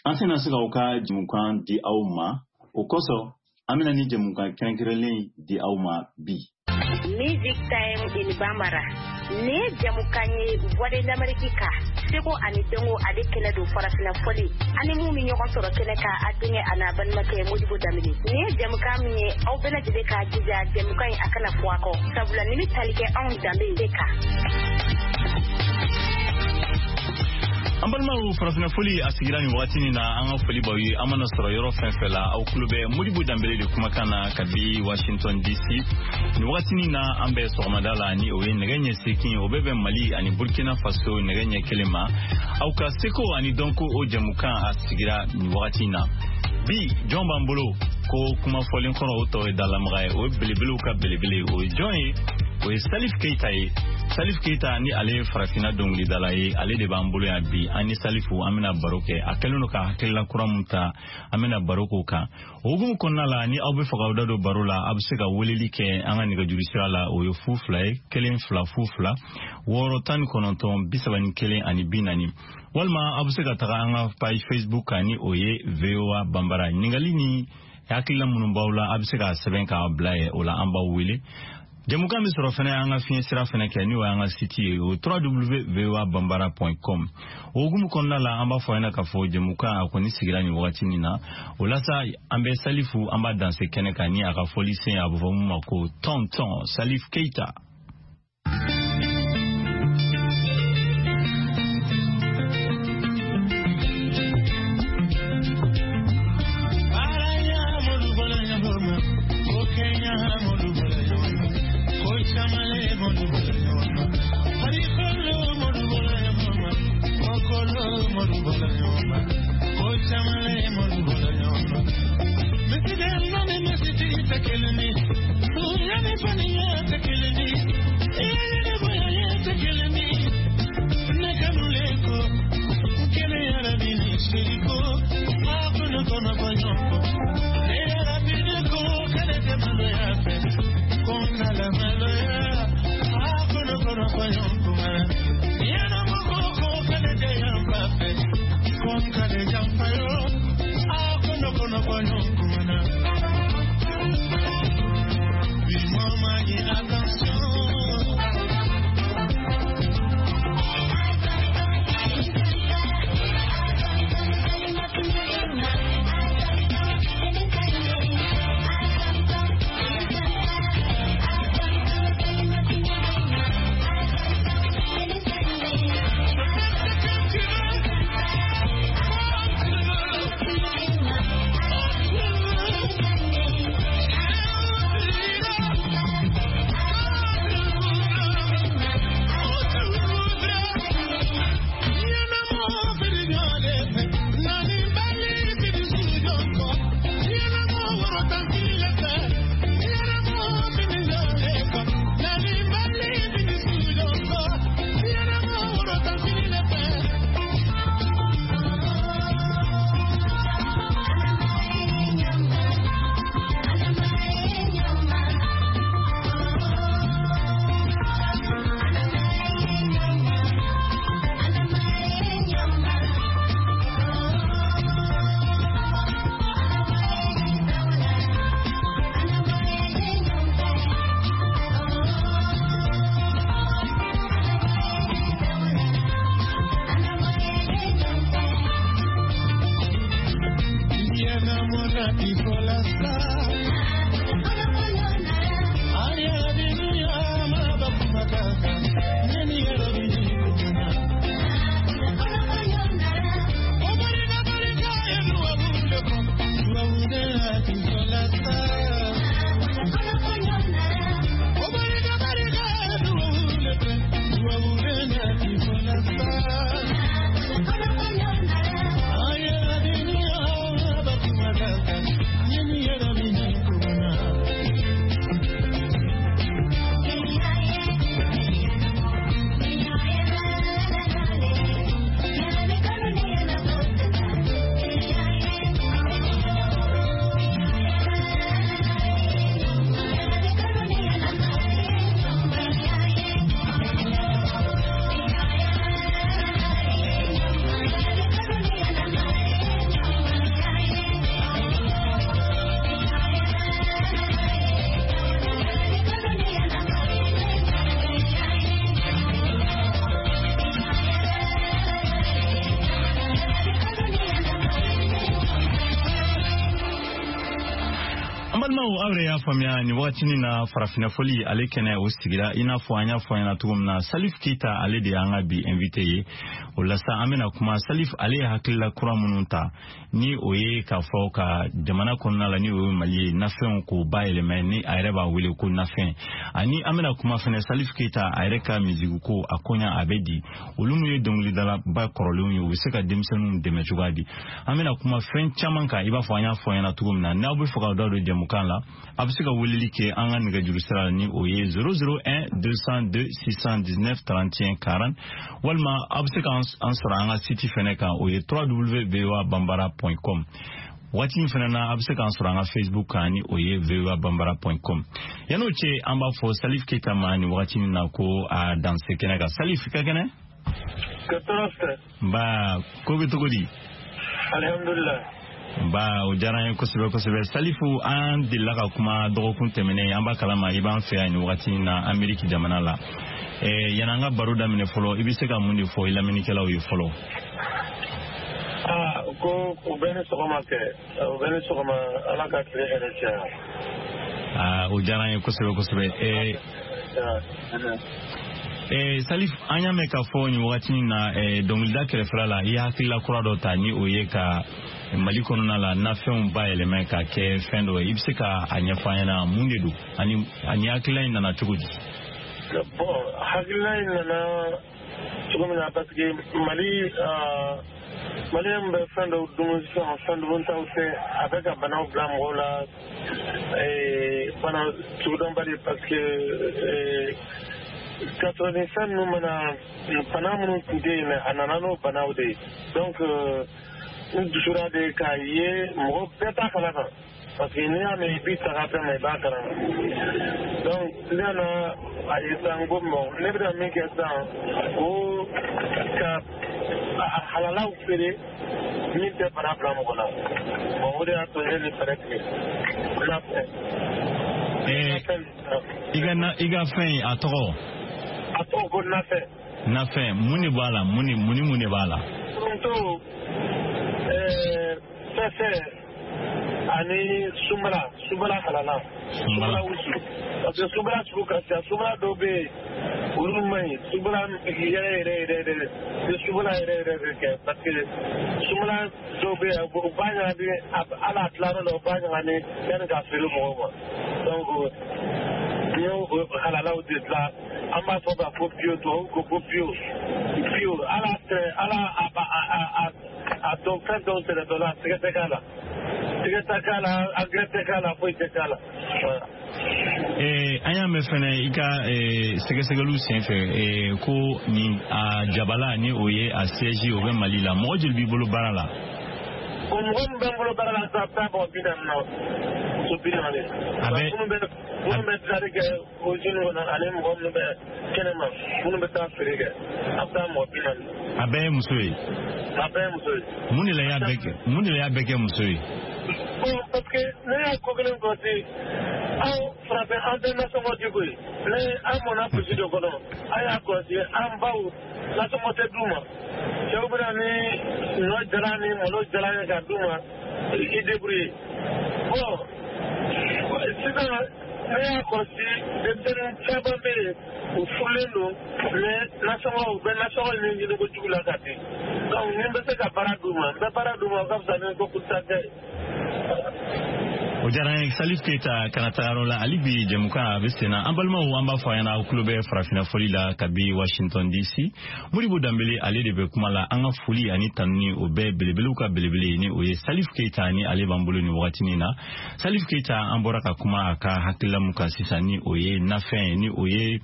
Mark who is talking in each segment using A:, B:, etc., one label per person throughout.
A: An tɛna se k'aw ka jɛmukan di aw ma, o kosɔn an bɛna ni jɛmukan kɛrɛnkɛrɛnlen di aw ma bi.
B: Music Time in Bambara. Nin ye jɛmukan ye Voix de l'Amérique kan, seko ani dɔnko ale kɛnɛ don, farafinna fɔli ani mun bɛ ɲɔgɔn sɔrɔ kɛnɛ kan, a denkɛ a n'a balimakɛ Modibo Danbele. Nin ye jɛmukan min ye, aw bɛɛ lajɛlen k'a jija jɛmukan in a kana fɔ a kɔ, sabula nin bɛ tali kɛ anw danbe de kan.
A: An balimaw, farafinna foli a sigira nin wagati nin na. An ka foli b'aw ye, an mana sɔrɔ yɔrɔ fɛn fɛn la. Aw tulo bɛ Modibo Danbele de kumakan na kabi Washington DC nin wagati nin na. An bɛ sɔgɔmada la, ni o ye nɛgɛ ɲɛ 8, o bɛ bɛn Mali ani Burkina Faso nɛgɛ ɲɛ 1 ma. Aw ka seko ani dɔnko, o jɛmukan a sigira nin wagati in na. Bi, jɔn b'an bolo ko kuma fɔlen kɔrɔ, o tɔ ye dalamaga ye, o ye belebelew ka belebele. O ye jɔn ye? O ye Salif Keita ye. Salif Keita ni ale ye farafinna dɔnkilidala ye, ale de b'an bolo yan bi. An ni Salifu an bɛna baro kɛ. A kɛlen don ka hakilila kura mun ta, an bɛna baro k'o kan. O hukumu kɔnɔna la, ni aw bɛ fɛ k'aw da don baro la, aw bɛ se ka weleli kɛ an ka nɛgɛjuru sira la. O ye 02 ye, 1 0 0 2 6 19 31 ani 40. Walima aw bɛ se ka taga an ka page Facebook kan, ni o ye VOA Banbara. Ɲininkali ni hakilila minnu b'aw la, a bɛ se k'a sɛbɛn k'a bila yen. O la, an b'aw wele. Jɛmukan bɛ sɔrɔ fɛnɛ an ka fiɲɛ sira fɛnɛ kɛ, n'o y'an ka site ye, o www.voabambara.com. O hukumu kɔnɔna la, an b'a fɔ ɲɛna k'a fɔ jɛmukan a kɔni sigira nin wagati nin na. O la sa, an bɛ Salifu, an b'a danse kɛnɛ kan ni a ka fɔli sen, a bɛ fɔ mun ma ko Tonton Salif Keita. Balimaw, aw yɛrɛ y'a faamuya nin wagatinin na, farafinna fɔli ale kɛnɛ o sigira. I n'a fɔ an y'a fɔ ɲɛna cogo min na, Salif Keita, ale de y'an ka bi invité ye. O la sa, an bɛna kuma Salif ale ye hakilila kura minnu ta, ni o ye k'a fɔ ka jamana kɔnɔna la, ni o ye Mali ye, nafɛnw k'o bayɛlɛmɛ, ni a yɛrɛ b'a wele ko nafɛn. Ani an bɛna kuma fɛnɛ Salif Keita a yɛrɛ ka musique ko, a koɲa a bɛ di, olu minnu ye dɔnkilidalaba kɔrɔlenw ye, u bɛ se ka denmisɛnninw dɛmɛ cogoya di. An bɛna kuma fɛn caman kan. I b'a fɔ an y'a fɔ ɲɛna cogo min na, n'aw bɛ fɛ k'aw da don jɛmukan la, a bɛ se ka weleli kɛ an ka nɛgɛjuru sira la, ni o ye 001 202 619 31 40, walima aw bɛ se k'an sɔrɔ an ka site fɛnɛ kan, o ye www.voabambara.com. Waati min fana na, a bɛ se k'an sɔrɔ an ka Facebook kan, ni o ye voabambara.com. Yan'o cɛ, an b'a fɔ Salif Keita ma nin wagati in na ko a danse kɛnɛ kan. Salif, ka kɛnɛ? Nba, ko bɛ cogo di?
C: Alhamdulilah.
A: Ba, o diyara an ye kosɛbɛ kosɛbɛ. Salifu, an delila ka kuma dɔgɔkun tɛmɛnen. An b'a kalama i b'an fɛ yan nin wagati in na Ameriki jamana la. Yan'an ka baro daminɛ fɔlɔ, i bɛ se ka mun de fɔ i lamɛnnikɛlaw ye fɔlɔ?
C: Aa, ko u bɛ ni sɔgɔma kɛ, u bɛ ni sɔgɔma, Ala ka tile hɛrɛ caya.
A: Aa, o diyara an ye kosɛbɛ kosɛbɛ. Salif, an y'a mɛn k'a fɔ nin wagati in na, dɔnkilida kɛrɛfɛla la, i ye hakilila kura dɔ ta, ni o ye ka Mali kɔnɔna la nafɛnw bayɛlɛmɛ ka kɛ fɛn dɔ ye. I bɛ se ka a ɲɛfɔ an ɲɛna mun de don, ani hakilila in nana cogo di?
C: Bon, hakilila in nana cogo min na, parce que Mali, maliyɛn bɛ fɛn dɔw dun sisan, fɛn duntaw tɛ, a bɛ ka banaw bila mɔgɔw la, bana sugudɔnbali, parce que k'a sɔrɔ nin fɛn ninnu mana, bana minnu tun tɛ yen, a nana n'o banaw de ye. Donc n dusura de k'a ye mɔgɔ bɛɛ t'a kalama, parce que n'i y'a mɛn i b'i taga fɛn ma, i b'a kalama. Donc ne nana a ye sisan ko bon, ne bɛna min kɛ sisan, ko ka a halalaw feere min tɛ bana bila mɔgɔ la. Bon, o de y'a to ne ye nin fɛɛrɛ tigɛ n'a fɛ.
A: I ka fɛn in, a tɔgɔ?
C: A tɔgɔ ko nafɛn.
A: Nafɛn, mun de b'a la? Mun ni mun ni mun de b'a la?
C: Foronto, fɛfɛ ani sunbala, sunbala halala, sunbala wusu, parce que sunbala sugu ka ca. Sunbala dɔw bɛ yen, olu man ɲi. Sunbala yɛrɛ yɛrɛ yɛrɛ yɛrɛ ni sunbala yɛrɛ yɛrɛ bɛ kɛ, parce que sunbala dɔw bɛ yen, u b'a ɲagami, hali a tilayɔrɔ la, u b'a ɲagami yanni k'a feere mɔgɔw ma. Donc n y'o halalaw de dilan. An b'a fɔ k'a fɔ bio, tubabu ko ko bio bio. Ala tɛ ala a a a dɔn fɛn dɔw tɛnɛ dɔ la, sɛgɛ tɛ k'a la, sɛgɛ tɛ k'a la, engrais tɛ k'a la, foyi tɛ k'a la.
A: An y'a mɛn fɛnɛ i ka sɛgɛsɛgɛliw senfɛ ko nin a jabala, ni o ye a siège, o bɛ Mali la. Mɔgɔ joli b'i bolo baara la?
C: Bon, mɔgɔ min bɛ n bolo baara la sisan, a bɛ taa mɔgɔ 40 na, muso 40.
A: A bɛ
C: minnu bɛ dilali kɛ usine kɔnɔ, ani mɔgɔ minnu bɛ kɛnɛma, minnu bɛ taa feere kɛ, a bɛ taa mɔgɔ 40.
A: A bɛɛ ye muso ye?
C: A bɛɛ ye muso ye.
A: Mun de la i y'a bɛɛ kɛ, mun de la i y'a bɛɛ kɛ muso ye?
C: Bon, parce que ne y'a ko kelen kɔlɔsi, anw farafin, an tɛ nasɔngɔ di koyi. Ne an mɔnna burusi de kɔnɔ, an y'a kɔlɔsi an baw nasɔngɔ tɛ d'u ma. Cɛw bɛna ni ɲɔ jalan ni malo jalan ye k'a d'u ma, i débrouiller. Bon, sisan ne y'a kɔlɔsi, denmisɛnnin caman bɛ yen, u furulen don, mais nasɔngɔ, u bɛ nasɔngɔ ɲini kojugu la ka di. Donc ni n bɛ se ka baara d'u ma, n bɛ baara d'u ma, o ka fisa ni ko kuta kɛ.
A: O diyara n ye, Salif Keita. Kana taga yɔrɔ la, hali bi jɛmukan a bɛ sen na. An balimaw, an b'a fɔ a ɲɛna, aw tulo bɛ farafinna fɔli la kabi Washington DC. Modibo Danbele, ale de bɛ kuma la. An ka foli ani tanuni, o bɛɛ belebelew ka belebele, ni o ye Salif Keita, ni ale b'an bolo nin wagatinin na. Salif Keita, an bɔra ka kuma a ka hakilila mun kan sisan, ni o ye nafɛn ye, ni o ye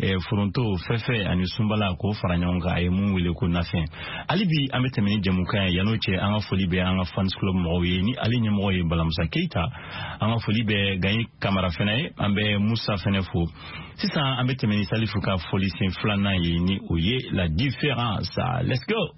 A: foronto, fɛfɛ ani sunbala k'o fara ɲɔgɔn kan, a ye mun wele ko nafɛn. Hali bi an bɛ tɛmɛ ni jɛmukan ye. Yan'o cɛ, an ka foli bɛ an ka fans club mɔgɔw ye, ni ale ɲɛmɔgɔ ye Balamusa Keita. An ka foli bɛ Gaɲi Kamara fɛnɛ ye, an bɛ Musa fɛnɛ fo. Sisan an bɛ tɛmɛ ni Salifu ka foli sen filanan ye, ni o ye la différence. Let's go.